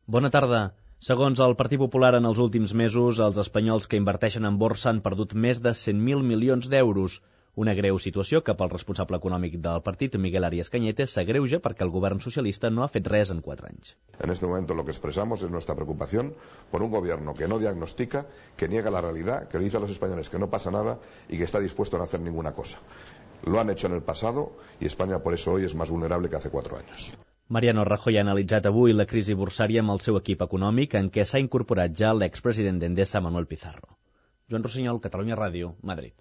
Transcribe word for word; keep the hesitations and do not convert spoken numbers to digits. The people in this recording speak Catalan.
Bona tarda. Segons el Partit Popular, en els últims mesos, els espanyols que inverteixen en borsa han perdut més de cent mil milions d'euros. Una greu situació que pel responsable econòmic del partit, Miguel Arias Cañete, s'agreuja perquè el govern socialista no ha fet res en quatre anys. En este momento lo que expresamos es nuestra preocupación por un gobierno que no diagnostica, que niega la realidad, que le dice a los españoles que no pasa nada y que está dispuesto a no hacer ninguna cosa. Lo han hecho en el pasado y España por eso hoy es más vulnerable que hace cuatro años. Mariano Rajoy ha analitzat avui la crisi borsària amb el seu equip econòmic, en què s'ha incorporat ja l'expresident d'Endesa, Manuel Pizarro. Joan Rossinyol, Catalunya Ràdio, Madrid.